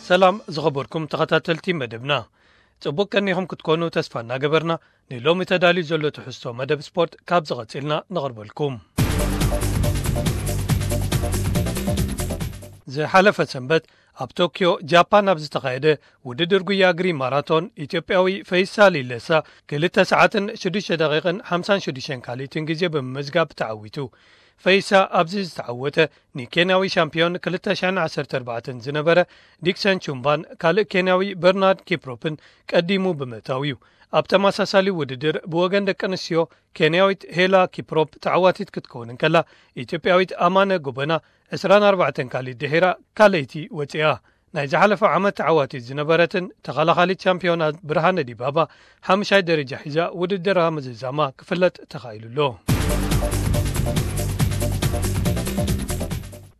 ሰላም ዝኸበርኩም ተኸታተልቲ መደብና፣ ጽቡቅ ቀኒኹም ክትኮኑ ተስፋ እናገበርና፣ ንሎሚ ተዳልዩ ዘሎ ትሕዝቶ መደብ ስፖርት ካብ ዝቐጺልና ነቕርበልኩም። ዝሓለፈ ሰንበት ኣብ ቶክዮ ጃፓን ኣብ ዝተኻየደ ውድድር ጉያ እግሪ ማራቶን፣ ኢትዮጵያዊ ፈይሳ ሊለሳ ክልተ ሰዓትን ሽዱሽተ ደቂቕን ሓምሳን ሽዱሽተን ካልኢትን ግዜ ብምምዝጋብ ተዓዊቱ። ፈይሳ ኣብዚ ዝተዓወተ፣ ንኬንያዊ ሻምፒዮን ክልተ ሽሕን ዓሰርተ ኣርባዕተን ዝነበረ ዲክሰን ቹምባን ካልእ ኬንያዊ በርናርድ ኪፕሮፕን ቀዲሙ ብምእታው እዩ። ኣብ ተመሳሳሊ ውድድር ብወገን ደቂ ኣንስትዮ፣ ኬንያዊት ሄላ ኪፕሮፕ ተዓዋቲት ክትከውን እንከላ፣ ኢትዮጵያዊት ኣማነ ጎበና ዕስራን ኣርባዕተን ካልኢት ድሒራ ካልኣይቲ ወጺኣ። ናይ ዝሓለፈ ዓመት ተዓዋቲት ዝነበረትን ተኸላኻሊት ቻምፒዮና ብርሃነ ዲባባ ሓምሻይ ደረጃ ሒዛ ውድድራ ምዝዛማ ክፍለጥ ተኻኢሉ ኣሎ።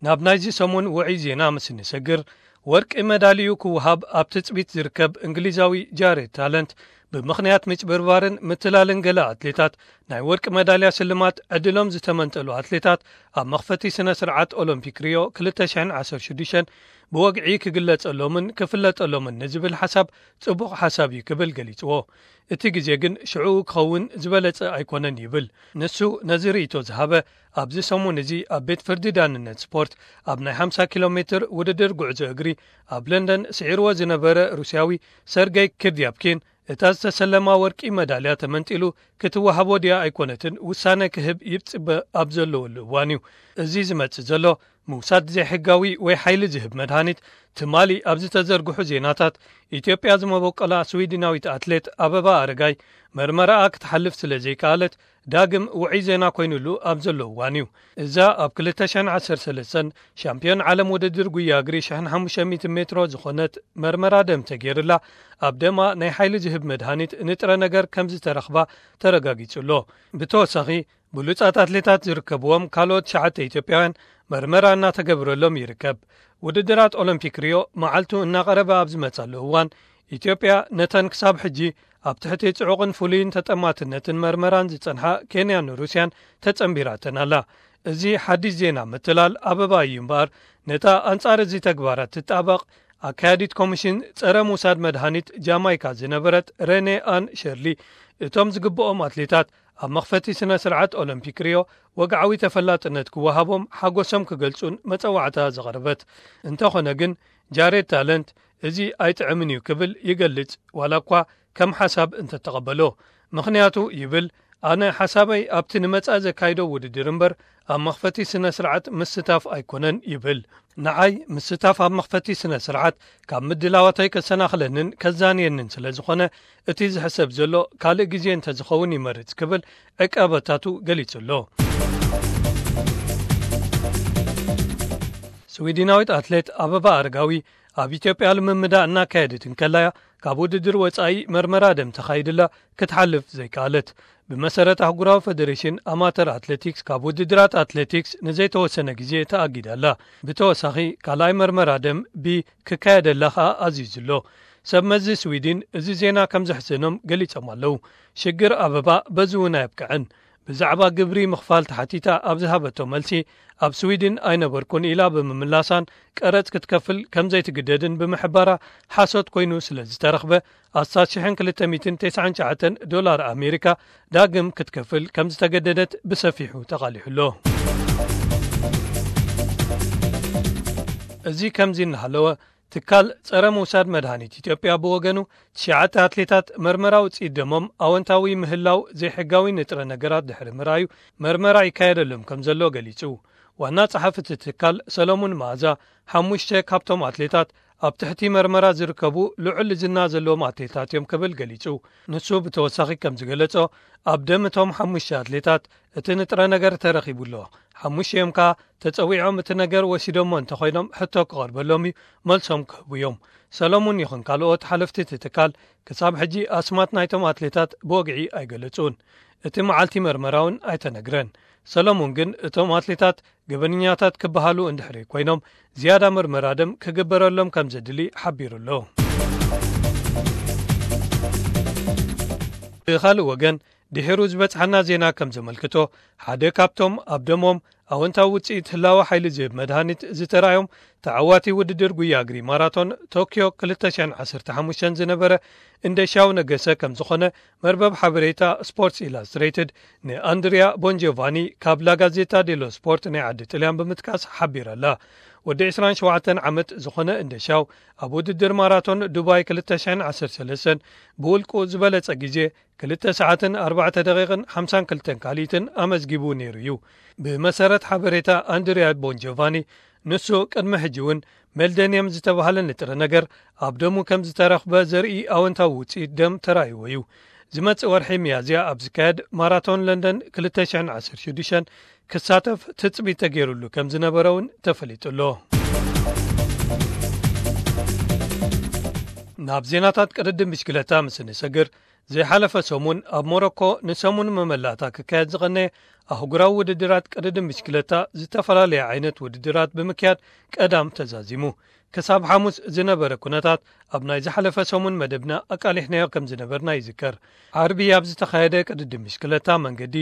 ናብ ናይዚ ሰሙን ውዑይ ዜና ምስ እንሰግር፣ ወርቂ መዳልዩ ክወሃብ ኣብ ትጽቢት ዝርከብ እንግሊዛዊ ጃሬድ ታለንት፣ ብምኽንያት ምጭብርባርን ምትላልን ገለ ኣትሌታት፣ ናይ ወርቂ መዳልያ ስልማት ዕድሎም ዝተመንጠሉ ኣትሌታት ኣብ መኽፈቲ ስነ ስርዓት ኦሎምፒክ ሪዮ ክልተ ሽሕን ዓሰርተ ሽዱሽተን ብወግዒ ክግለጸሎምን ክፍለጠሎምን ንዝብል ሓሳብ ጽቡቕ ሓሳብ እዩ ክብል ገሊጽዎ። እቲ ግዜ ግን ሽዑ ክኸውን ዝበለጸ ኣይኮነን ይብል። ንሱ ነዚ ርእይቶ ዝሃበ ኣብዚ ሰሙን እዚ ኣብ ቤት ፍርዲ ዳንነት ስፖርት ኣብ ናይ ሓምሳ ኪሎ ሜትር ውድድር ጉዕዞ እግሪ ኣብ ለንደን ስዒርዎ ዝነበረ ሩስያዊ ሰርገይ ክርድያብኪን፣ እታ ዝተሰለማ ወርቂ መዳልያ ተመንጢሉ ክትወሃቦ ድያ ኣይኮነትን ውሳነ ክህብ ይጽበ ኣብ ዘለወሉ እዋን እዩ። እዚ ዝመጽእ ዘሎ ምውሳድ ዘይሕጋዊ ወይ ሓይሊ ዝህብ መድሃኒት፣ ትማሊ ኣብ ዝተዘርግሑ ዜናታት፣ ኢትዮጵያ ዝመበቆላ ስዊድናዊት ኣትሌት ኣበባ ኣረጋይ መርመራኣ ክትሓልፍ ስለ ዘይከኣለት፣ ዳግም ውዑይ ዜና ኮይኑሉ ኣብ ዘሎ እዋን እዩ። እዛ ኣብ ክልተ ሽሕን ዓሰርተ ሰለስተን ሻምፒዮን ዓለም ውድድር ጉያ እግሪ ሽሕን ሓሙሽተ ሚእትን ሜትሮ ዝኾነት መርመራ ደም ተገይርላ፣ ኣብ ደማ ናይ ሓይሊ ዝህብ መድሃኒት ንጥረ ነገር ከም ዝተረኽባ ተረጋጊጹ ኣሎ። ብተወሳኺ፣ ብሉጻት ኣትሌታት ዝርከብዎም ካልኦት ትሽዓተ ኢትዮጵያውያን መርመራ እናተገብረሎም ይርከብ። ውድድራት ኦሎምፒክ ሪዮ መዓልቱ እናቐረበ ኣብ ዝመጻሉ እዋን፣ ኢትዮጵያ ነተን ክሳብ ሕጂ ኣብ ትሕቲ ጽዑቕን ፍሉይን ተጠማትነትን መርመራን ዝጸንሓ ኬንያን ሩስያን ተጸንቢራተን ኣላ። እዚ ሓድሽ ዜና ምትላል ኣበባ እዩ እምበኣር፣ ነታ ኣንጻር እዚ ተግባራት ትጣበቕ ኣካያዲት ኮሚሽን ጸረ ምውሳድ መድሃኒት ጃማይካ ዝነበረት ረኔ ኣን ሸርሊ፣ እቶም ዝግብኦም ኣትሌታት ኣብ መኽፈቲ ስነ ስርዓት ኦሎምፒክ ሪዮ ወግዓዊ ተፈላጥነት ክወሃቦም ሓጎሶም ክገልጹን መጸዋዕታ ዘቕረበት። እንተኾነ ግን፣ ጃሬድ ታለንት እዚ ኣይጥዕምን እዩ ክብል ይገልጽ፣ ዋላ እኳ ከም ሓሳብ እንተተቐበሎ። ምኽንያቱ ይብል፣ ኣነ ሓሳበይ ኣብቲ ንመጻኢ ዘካይዶ ውድድር እምበር ኣብ መኽፈቲ ስነ ስርዓት ምስታፍ ኣይኮነን ይብል። ንዓይ ምስታፍ ኣብ መኽፈቲ ስነ ስርዓት ካብ ምድላዋተይ ከሰናኽለንን ከዛንየንን ስለ ዝኾነ፣ እቲ ዝሕሰብ ዘሎ ካልእ ግዜ እንተዝኸውን ይመርጽ ክብል ዕቃበታቱ ገሊጹ ኣሎ። ስዊድናዊት ኣትሌት ኣበባ ኣረጋዊ ኣብ ኢትዮጵያ ልምምዳ እናካየደት እንከላያ ካብ ውድድር ወጻኢ መርመራ ደም ተኻይድላ ክትሓልፍ ዘይከኣለት። ብመሰረት ኣህጉራዊ ፈደሬሽን ኣማተር ኣትሌቲክስ ካብ ውድድራት ኣትሌቲክስ ንዘይተወሰነ ግዜ ተኣጊዳ ኣላ። ብተወሳኺ ካልኣይ መርመራ ደም ቢ ክካየደላ ከኣ ኣዚዙ ኣሎ። ሰብ መዚ ስዊድን እዚ ዜና ከም ዘሕዘኖም ገሊጾም ኣለዉ። ሽግር ኣበባ በዚ እውን ኣየብቅዐን። ብዛዕባ ግብሪ ምኽፋል ተሓቲታ ኣብ ዝሃበቶ መልሲ፣ ኣብ ስዊድን ኣይነበርኩን ኢላ ብምምላሳን ቀረጽ ክትከፍል ከም ዘይትግደድን ብምሕባራ ሓሶት ኮይኑ ስለ ዝተረኽበ፣ ኣስታት ሽሕን ክልተ ሚእትን ተስዓን ትሽዓተን ዶላር ኣሜሪካ ዳግም ክትከፍል ከም ዝተገደደት ብሰፊሑ ተቓሊሑ ኣሎ። እዚ ከምዚ እናሃለወ፣ ትካል ጸረ ምውሳድ መድሃኒት ኢትዮጵያ ብወገኑ፣ ትሽዓተ ኣትሌታት መርመራ ውጽኢት ደሞም ኣወንታዊ ምህላው ዘይሕጋዊ ንጥረ ነገራት ድሕሪ ምርኣዩ፣ መርመራ ይካየደሎም ከም ዘሎ ገሊጹ። ዋና ጸሓፊ እቲ ትካል ሰሎሙን መኣዛ፣ ሓሙሽተ ካብቶም ኣትሌታት ኣብ ትሕቲ መርመራ ዝርከቡ ልዑል ዝና ዘለዎም ኣትሌታት እዮም ክብል ገሊጹ። ንሱ ብተወሳኺ ከም ዝገለጾ፣ ኣብ ደም እቶም ሓሙሽተ ኣትሌታት እቲ ንጥረ ነገር ተረኺቡ ኣሎ። ሓሙሽቲኦም ከኣ ተጸዊዖም እቲ ነገር ወሲዶሞ እንተኾይኖም ሕቶ ክቐርበሎም እዩ፣ መልሶም ክህቡ እዮም። ሰሎሙን ይኹን ካልኦት ሓለፍቲ እቲ ትካል ክሳብ ሕጂ ኣስማት ናይቶም ኣትሌታት ብወግዒ ኣይገለጹን። እቲ መዓልቲ መርመራ እውን ኣይተነግረን። ሰሎሙን ግን እቶም ኣትሌታት ገበነኛታት ክበሃሉ እንድሕሪ ኮይኖም ዝያዳ መርመራ ደም ክግበረሎም ከም ዘድሊ ሓቢሩ ኣሎ። ብኻልእ ወገን፣ ድሒሩ ዝበጽሓና ዜና ከም ዘመልክቶ፣ ሓደ ካብቶም ኣብ ደሞም ኣወንታዊ ውፅኢት ህላወ ሓይሊ ዝህብ መድሃኒት ዝተራእዮም ተዓዋቲ ውድድር ጉያ እግሪ ማራቶን ቶኪዮ ክልተ ሽሕን ዓሰርተ ሓሙሽተን ዝነበረ እንደሻው ነገሰ ከም ዝኾነ መርበብ ሓበሬታ ስፖርትስ ኢላስትሬትድ ንኣንድሪያ ቦንጆቫኒ ካብ ላጋዜታ ዴሎ ስፖርት ናይ ዓዲ ጥልያን ብምጥቃስ ሓቢራላ። ወዲ ዕስራን ሸውዓተን ዓመት ዝኾነ እንደሻው ኣብ ውድድር ማራቶን ዱባይ ክልተ ሽሕን ዓሰርተ ሰለስተን ብውልቁ ዝበለጸ ግዜ ክልተ ሰዓትን ኣርባዕተ ደቂቕን ሓምሳን ክልተን ካልኢትን ኣመዝጊቡ ነይሩ እዩ። ብመሰረት ሓበሬታ ኣንድሪያ ቦንጆቫኒ፣ ንሱ ቅድሚ ሕጂ እውን ሜልደንየም ዝተባህለ ንጥረ ነገር ኣብ ደሙ ከም ዝተረኽበ ዘርኢ ኣወንታዊ ውፅኢት ደም ተራእይዎ እዩ። ዝመጽእ ወርሒ ሚያዝያ ኣብ ዝካየድ ማራቶን ለንደን ክልተ ሽሕን ዓሰርተ ሽዱሽተን ክሳተፍ ትጽቢት ተገይሩሉ ከም ዝነበረ እውን ተፈሊጡ ኣሎ። ናብ ዜናታት ቅድድም ብሽክለታ ምስ እንሰግር፣ ዘይሓለፈ ሰሙን ኣብ ሞሮኮ ንሰሙን መመላእታ ክካየድ ዝቐነየ ኣህጉራዊ ውድድራት ቅድድም ብሽክለታ ዝተፈላለየ ዓይነት ውድድራት ብምክያድ ቀዳም ተዛዚሙ። ክሳብ ሓሙስ ዝነበረ ኩነታት ኣብ ናይ ዝሓለፈ ሰሙን መደብና ኣቃሊሕናዮ ከም ዝነበርና ይዝከር። ዓርቢ ኣብ ዝተኻየደ ቅድድም ብሽክለታ መንገዲ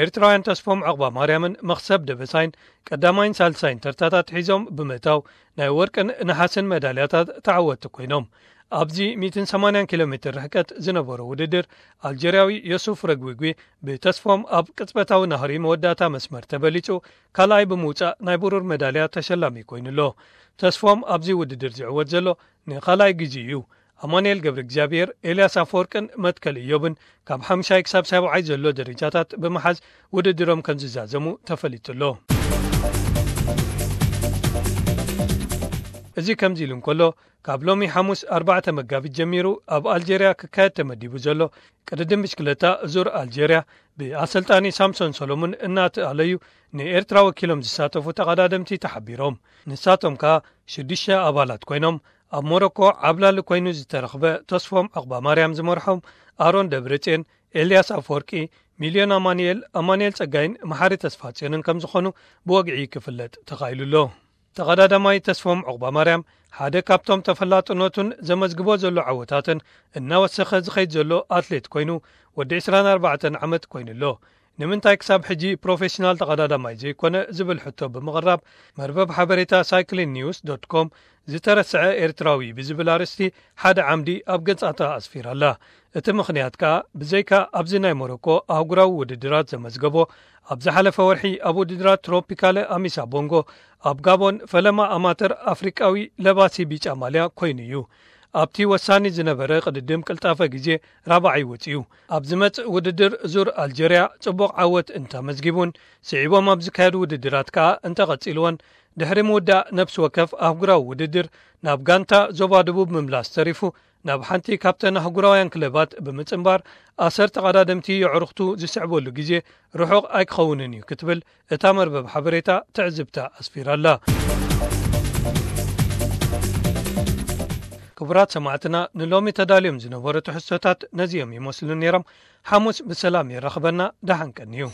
ኤርትራውያን ተስፎም ዕቕባ ማርያምን መኽሰብ ደበሳይን ቀዳማይን ሳልሳይን ተርታታት ሒዞም ብምእታው ናይ ወርቅን ነሓስን መዳልያታት ተዓወትቲ ኮይኖም። ኣብዚ ሚእትን ሰማንያን ኪሎ ሜትር ርሕቀት ዝነበሮ ውድድር ኣልጀርያዊ ዮሱፍ ረግዊጉ ብተስፎም ኣብ ቅጽበታዊ ናህሪ መወዳእታ መስመር ተበሊጹ ካልኣይ ብምውጻእ ናይ ብሩር መዳልያ ተሸላሚ ኮይኑ ኣሎ። ተስፎም ኣብዚ ውድድር ዝዕወት ዘሎ ንኻልኣይ ግዜ እዩ። ኣማኑኤል ገብረ እግዚኣብሔር፣ ኤልያስ ኣፈወርቅን መትከል እዮብን ካብ ሓምሻይ ክሳብ ሰብዓይ ዘሎ ደረጃታት ብምሓዝ ውድድሮም ከም ዝዛዘሙ ተፈሊጡ ኣሎ። እዚ ከምዚ ኢሉ እንከሎ፣ ካብ ሎሚ ሓሙስ ኣርባዕተ መጋቢት ጀሚሩ ኣብ ኣልጀርያ ክካየድ ተመዲቡ ዘሎ ቅድድም ብሽክለታ ዙር ኣልጀርያ ብኣሰልጣኒ ሳምሶን ሰሎሙን እናተኣለዩ ንኤርትራ ወኪሎም ዝሳተፉ ተቐዳደምቲ ተሓቢሮም። ንሳቶም ከኣ ሽዱሽተ ኣባላት ኮይኖም ኣብ ሞሮኮ ዓብላሊ ኮይኑ ዝተረኽበ ተስፎም ዕቕባ ማርያም ዝመርሖም ኣሮን ደብረጽዮን፣ ኤልያስ ኣፈወርቂ፣ ሚልዮን ኣማኑኤል፣ ኣማኑኤል ጸጋይን መሓሪ ተስፋጽዮንን ከም ዝኾኑ ብወግዒ ክፍለጥ ተኻኢሉ ኣሎ። ተቐዳዳማይ ተስፎም ዕቑባ ማርያም ሓደ ካብቶም ተፈላጥነቱን ዘመዝግቦ ዘሎ ዓወታትን እናወሰኸ ዝኸይድ ዘሎ ኣትሌት ኮይኑ ወዲ ዕስራን ኣርባዕተን ዓመት ኮይኑ ኣሎ። ንምንታይ ክሳብ ሕጂ ፕሮፌሽናል ተቐዳዳማይ ዘይኮነ ዝብል ሕቶ ብምቕራብ መርበብ ሓበሬታ ሳይክሊን ኒውስ ዶት ኮም ዝተረስዐ ኤርትራዊ ብዝብል ኣርእስቲ ሓደ ዓምዲ ኣብ ገጻታ ኣስፊራ ኣላ። እቲ ምኽንያት ከኣ ብዘይካ ኣብዚ ናይ ሞሮኮ ኣህጉራዊ ውድድራት ዘመዝገቦ ኣብ ዝሓለፈ ወርሒ ኣብ ውድድራት ትሮፒካለ ኣሚሳ ቦንጎ ኣብ ጋቦን ፈለማ ኣማተር ኣፍሪቃዊ ለባሲ ቢጫ ማልያ ኮይኑ እዩ። ኣብቲ ወሳኒ ዝነበረ ቅድድም ቅልጣፈ ግዜ ራብዓይ ወጺኡ። ኣብ ዝመጽእ ውድድር ዙር ኣልጀርያ ጽቡቕ ዓወት እንተመዝጊቡን ስዒቦም ኣብ ዝካየዱ ውድድራት ከኣ እንተቐጺልዎን ድሕሪ ምውዳእ ነፍሲ ወከፍ ኣህጉራዊ ውድድር ናብ ጋንታ ዞባ ደቡብ ምምላስ ተሪፉ ናብ ሓንቲ ካብተን ኣህጉራውያን ክለባት ብምጽንባር ኣሰር ተቐዳደምቲ የዕሩኽቱ ዝስዕበሉ ግዜ ርሑቕ ኣይክኸውንን እዩ ክትብል እታ መርበብ ሓበሬታ ትዕዝብታ ኣስፊራ ኣላ። ክቡራት ሰማዕትና ንሎሚ ተዳልዮም ዝነበሩ ትሕዝቶታት ነዚኦም ይመስሉ ነይሮም። ሓሙስ ብሰላም የራኽበና። ደሓን ቀንዩ።